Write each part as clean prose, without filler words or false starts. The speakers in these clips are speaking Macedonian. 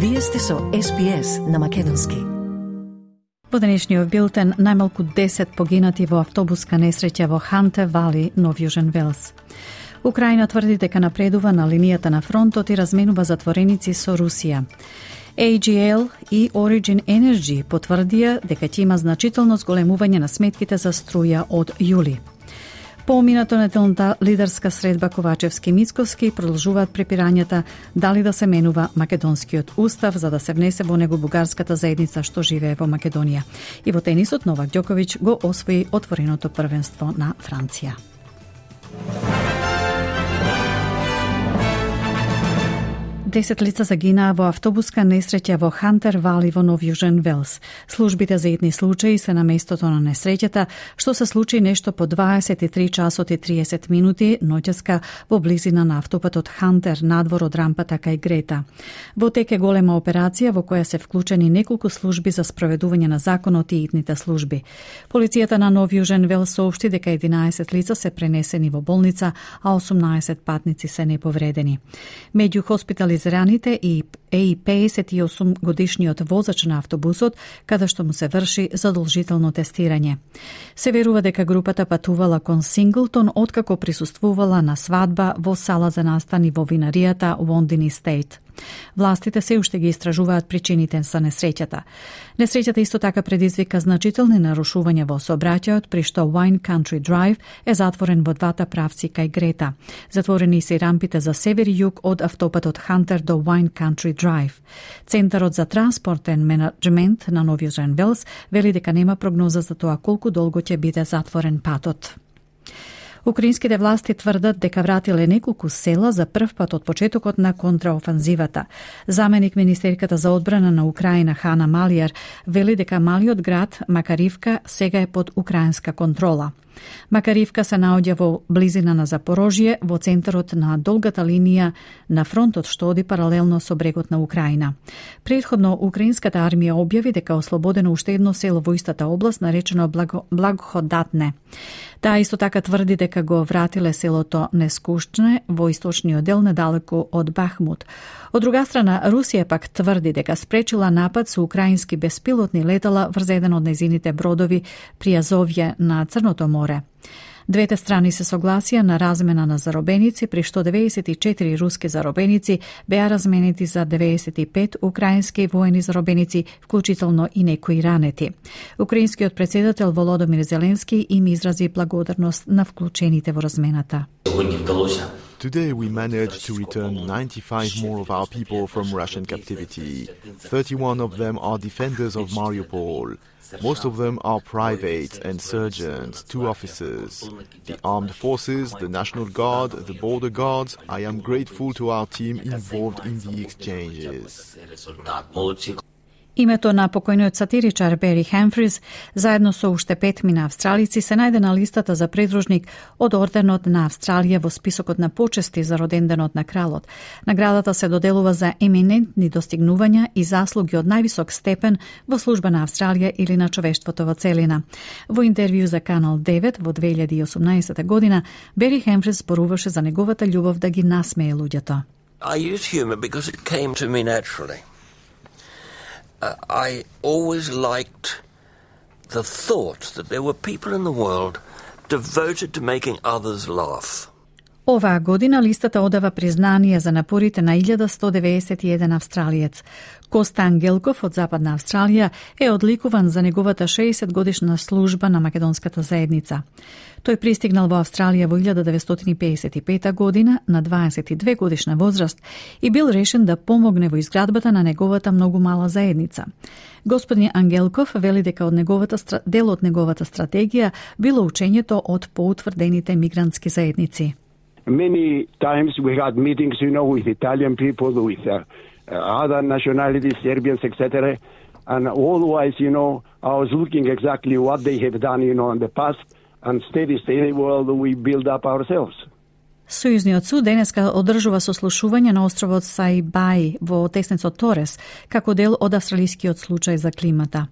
Вие сте со SPS на македонски. Во денешниот билтен најмалку 10 погинати во автобуска несреќа во Ханте Вали, Нов Јужен Велс. Украина тврди дека напредува на линијата на фронтот и разменува затвореници со Русија. AGL и Origin Energy потврдија дека ќе има значително зголемување на сметките за струја од јули. По минато неделната лидерска средба Ковачевски-Мицковски продолжуваат препирањата дали да се менува македонскиот устав за да се внесе во него бугарската заедница што живее во Македонија. И во тенисот Новак Ѓоковиќ го освои отвореното првенство на Франција. 10 лица загинаа во автобуска несреќа во Хантер Вали во Нов Јужен Велс. Службите за итни случаи се на местото на несреќата, што се случи нешто по 23 часот и 30 минути ноќеска во близина на автопатот Хантер надвор од рампата кај Грета. Во тек е голема операција во која се вклучени неколку служби за спроведување на законот и итните служби. Полицијата на Нов Јужен Велс соопшти дека 11 лица се пренесени во болница, а 18 патници се неповредени. Меѓу хоспитализираните и 58 годишниот возач на автобусот, каде што му се врши задолжително тестирање. Се верува дека групата патувала кон Синглтон откако присуствувала на свадба во сала за настани во винаријата Wondi Estate. Властите се уште ги истражуваат причините за несреќата. Несреќата исто така предизвика значителни нарушувања во сообраќајот, при што Wine Country Drive е затворен во двата правци кај Грета. Затворени се и рампите за север и југ од автопатот Хантер до Wine Country Drive. Центарот за транспортен менеджмент на Нов Јужен Велс вели дека нема прогноза за тоа колку долго ќе биде затворен патот. Украинските власти тврдат дека вратиле неколку села за прв пат од почетокот на контраофанзивата. Заменик министерката за одбрана на Украина Хана Малијар вели дека малиот град Макаривка сега е под украинска контрола. Макаривка се наоѓа во близина на Запорожје, во центарот на долгата линија на фронтот што оди паралелно со брегот на Украина. Претходно, украинската армија објави дека ослободено уште едно село во истата област, наречено Благоходатне. Таа исто така тврди дека го вратиле селото Нескушчне во источниот дел недалеку од Бахмут. Од друга страна, Русија пак тврди дека спречила напад со украински беспилотни летала врз еден од незините бродови при Азовје на Црното море. Двете страни се согласија на размена на заробеници, при што 94 руски заробеници беа разменети за 95 украински воени заробеници, вклучително и некои ранети. Украинскиот председател Володомир Зеленски им изрази благодарност на вклучените во размената. Today we managed to return 95 more of our people from Russian captivity. 31 of them are defenders of Mariupol. Most of them are privates and surgeons, 2 officers. The armed forces, the National Guard, the border guards, I am grateful to our team involved in the exchanges. Името на покојниот сатиричар Бери Хемфрис, заедно со уште 5 мина австралици, се најде на листата за придружник од Орденот на Австралија во списокот на почести за роденденот на кралот. Наградата се доделува за еминентни достигнувања и заслуги од највисок степен во служба на Австралија или на човештвото во целина. Во интервју за Канал 9 во 2018 година, Бери Хемфрис зборуваше за неговата љубов да ги насмее луѓето. I use humor because it came to me naturally. I always liked the thought that there were people in the world devoted to making others laugh. Оваа година листата одава признание за напорите на 1191 австралиец. Коста Ангелков од Западна Австралија е одликуван за неговата 60-годишна служба на македонската заедница. Тој пристигнал во Австралија во 1955 година на 22 годишна возраст и бил решен да помогне во изградбата на неговата многу мала заедница. Господин Ангелков вели дека дел од неговата стратегија било учењето од поутврдените мигрантски заедници. Many times we had meetings, with Italian people, with other nationalities, Serbians, etc. And always, I was looking exactly what they have done, in the past, and steady world we build up ourselves. Сојузниот суд денеска одржува сослушување на островот Саибај во теснецот Торес, како дел од австралискиот случај за климата.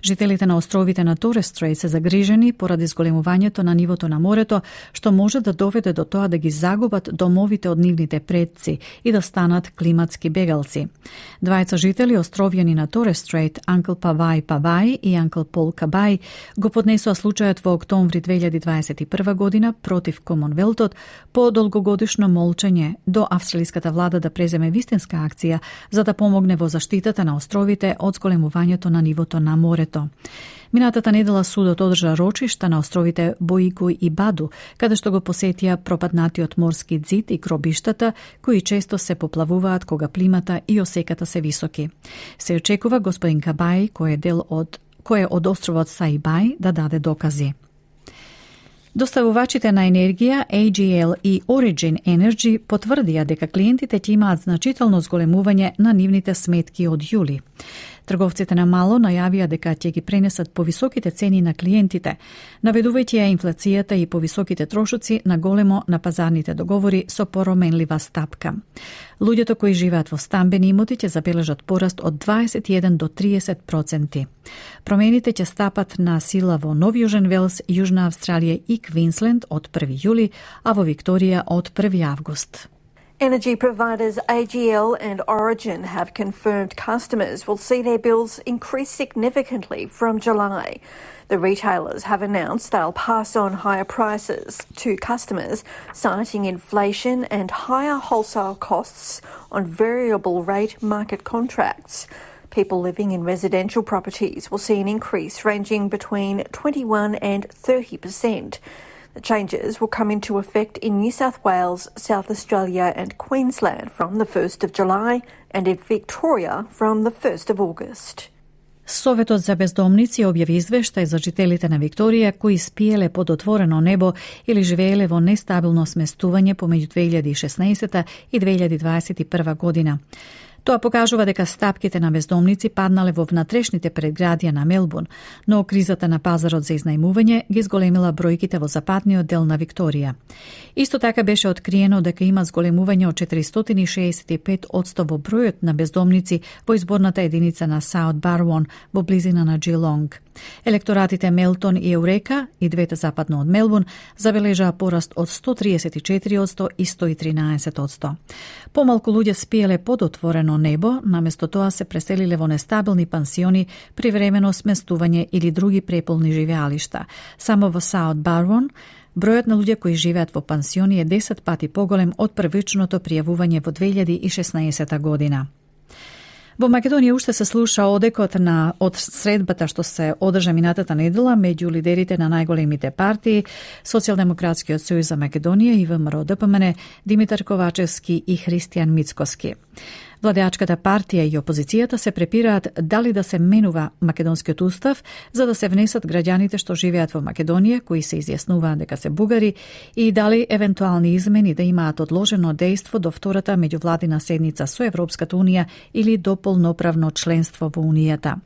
Жителите на островите на Торес Стрейт се загрижени поради зголемувањето на нивото на морето, што може да доведе до тоа да ги загубат домовите од нивните предци и да станат климатски бегалци. Двајца жители островјани на Торес Стрейт, Анкл Павај Павај и Анкл Пол Кабај, го поднесоа случајот во октомври 2021 година против Комонвелтот по долгогодишно молчење до австралиската влада да преземе вистинска акција за да помогне во заштитата на островите од зголемувањето на нивото на морето. Минатата недела судот одржа рочишта на островите Боику и Баду, каде што го посетија пропаднатиот морски ѕид и гробиштата, кои често се поплавуваат кога плимата и осеката се високи. Се очекува господин Кабај, кој е од островот Саибај, да даде докази. Доставувачите на енергија AGL и Origin Energy потврдија дека клиентите ќе имаат значително зголемување на нивните сметки од јули. Трговците на мало најавија дека ќе ги пренесат повисоките цени на клиентите, наведувајќи ја инфлацијата и повисоките трошоци на големо на пазарните договори со пороменлива стапка. Луѓето кои живеат во стамбени имоти ќе забележат пораст од 21 до 30%. Промените ќе стапат на сила во Нов Јужен Велс, Јужна Австралија и Квинсленд од 1 јули, а во Викторија од 1 август. Energy providers AGL and Origin have confirmed customers will see their bills increase significantly from July. The retailers have announced they'll pass on higher prices to customers, citing inflation and higher wholesale costs on variable rate market contracts. People living in residential properties will see an increase ranging between 21 and 30%. The changes will come into effect in New South Wales, South Australia and Queensland from the 1st of July and in Victoria from the 1st of August. Советот за бездомници објави извештај за жителите на Викторија кои спиеле под отворено небо или живееле во нестабилно сместување помеѓу 2016 и 2021 година. Тоа покажува дека стапките на бездомници паднале во внатрешните предградија на Мелбурн, но кризата на пазарот за изнајмување ги зголемила бројките во западниот дел на Викторија. Исто така беше откриено дека има зголемување од 465% во бројот на бездомници во изборната единица на Саут Барвон во близина на Джилонг. Електоратите Мелтон и Еурека, и двете западно од Мелбурн, забележаа пораст од 134% и 113%. Помалку луѓе спиеле под отворено небо, наместо тоа се преселиле во нестабилни пансиони, привремено сместување или други преполни живеалишта. Само во Саут Барвон, бројот на луѓе кои живеат во пансиони е 10 пати поголем од првичното пријавување во 2016 година. Во Македонија уште се слуша одекот од средбата што се одржа минатата недела меѓу лидерите на најголемите партии, Социјалдемократскиот сојуз за Македонија и ВМРО-ДПМН, Димитар Ковачевски и Христијан Мицкоски. Владеачката партија и опозицијата се препираат дали да се менува македонскиот устав за да се внесат граѓаните што живеат во Македонија, кои се изјаснуваат дека се бугари, и дали евентуални измени да имаат одложено дејство до втората меѓувладина седница со Европската унија или до полноправно членство во унијата.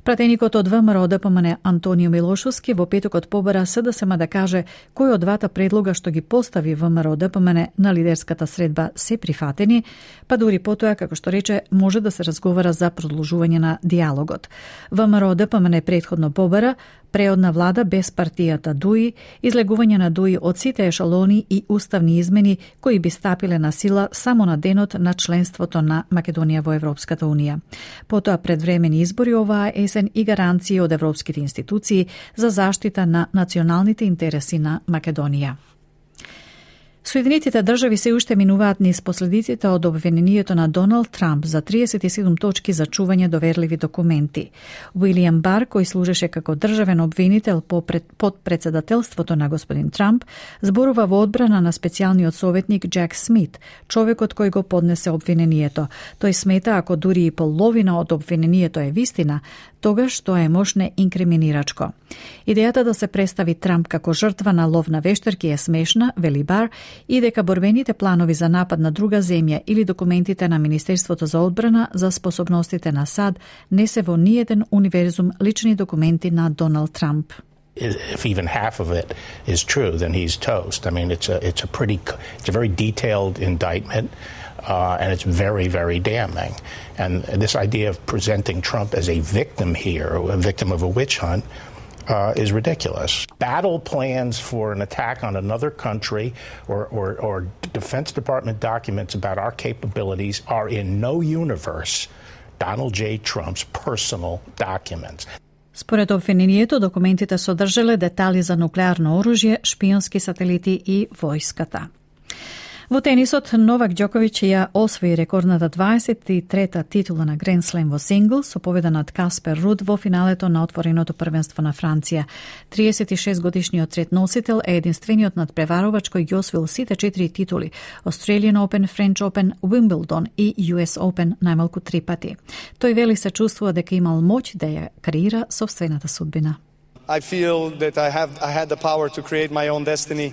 Пратеникот од ВМРО-ДПМН Антонио Милошовски во петокот побара СДСМ да каже кој од двата предлога што ги постави ВМРО-ДПМН на лидерската средба се прифатени, па дури потоа, како што рече, може да се разговара за продолжување на диалогот. ВМРО-ДПМН претходно побара преодна влада без партијата ДУИ, излегување на ДУИ од сите ешалони и уставни измени кои би стапиле на сила само на денот на членството на Македонија во Европската унија. Потоа предвремени избори оваа есен и гаранции од европските институции за заштита на националните интереси на Македонија. Соединетите држави се уште минуваат низ последиците од обвинението на Доналд Трамп за 37 точки за чување доверливи документи. Уилијам Бар, кој служеше како државен обвинител под председателството на господин Трамп, зборува во одбрана на специјалниот советник Джек Смит, човекот кој го поднесе обвинението. Тој смета ако дури и половина од обвинението е вистина, тогаш тоа е мошне инкриминирачко. Идејата да се представи Трамп како жртва на лов на вештерки е смешна, вели Бар, и дека борбените планови за напад на друга земја или документите на Министерството за одбрана за способностите на САД не се во ниеден универзум лични документи на Доналд Трамп. if even half of it is true, then he's toast. I mean, it's a very detailed indictment, and it's very, very damning. And this idea of presenting Trump as a victim here, a victim of a witch hunt, is ridiculous. Battle plans for an attack on another country or Defense Department documents about our capabilities are in no universe Donald J. Trump's personal documents. Според обвинението, документите содржале детали за нуклеарно оружје, шпионски сателити и војската. Во тенисот, Новак Џоковиќ ја освои рекордната 23-та титула на Гранд Слем во сингл со победа над Каспер Руд во финалето на отвореното првенство на Франција. 36-годишниот третносител е единствениот надпреварувач кој ги освоил сите 4 титули: Australian Open, French Open, Wimbledon и US Open најмалку 3 пати. Тој вели се чувствува дека имал моќ да ја креира собствената судбина. I feel that I had the power to create my own destiny.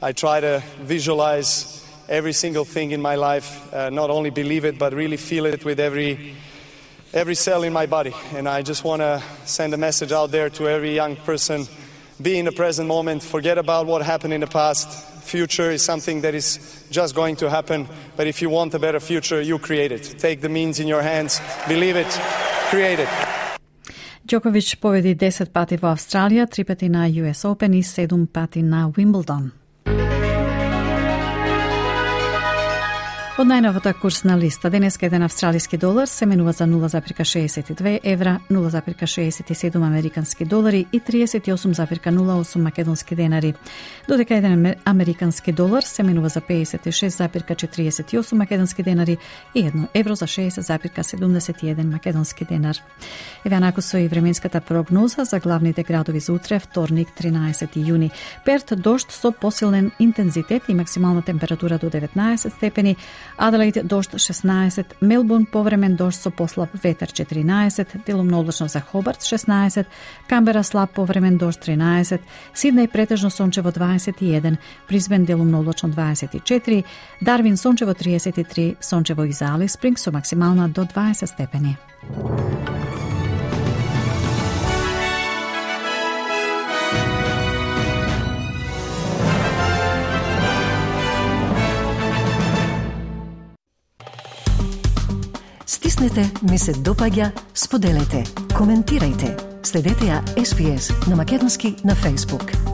I try to visualize every single thing in my life, not only believe it, but really feel it with every cell in my body. And I just want to send a message out there to every young person: be in the present moment, forget about what happened in the past. Future is something that is just going to happen, but if you want a better future, you create it. Take the means in your hands, believe it, create it. Џоковиќ победи 10 пати во Австралија, 3 пати на US Open и 7 пати на Wimbledon. Од најновата курсна листа, денеска еден австралиски долар се менува за 0,62 евра, 0,67 американски долари и 38,08 македонски денари, додека еден американски долар се менува за 56,48 македонски денари и 1 евро за 60,71 македонски денар. Еве анаку со и временската прогноза за главните градови за утре, вторник, 13 јуни. Перт дожд со посилен интензитет и максимална температура до 19 степени, Аделаид дожд 16, Мелбурн повремен дожд со послаб ветер 14, делумно облачно за Хобарт 16, Камбера слаб повремен дожд 13, Сиднеј претежно сончево 21, Брисбен делумно облачно 24, Дарвин сончево 33, сончево и за Алис Спринг со максимална до 20 степени. Стиснете, ми се допаѓа, споделете, коментирајте. Следете ја SPS на Македонски на Facebook.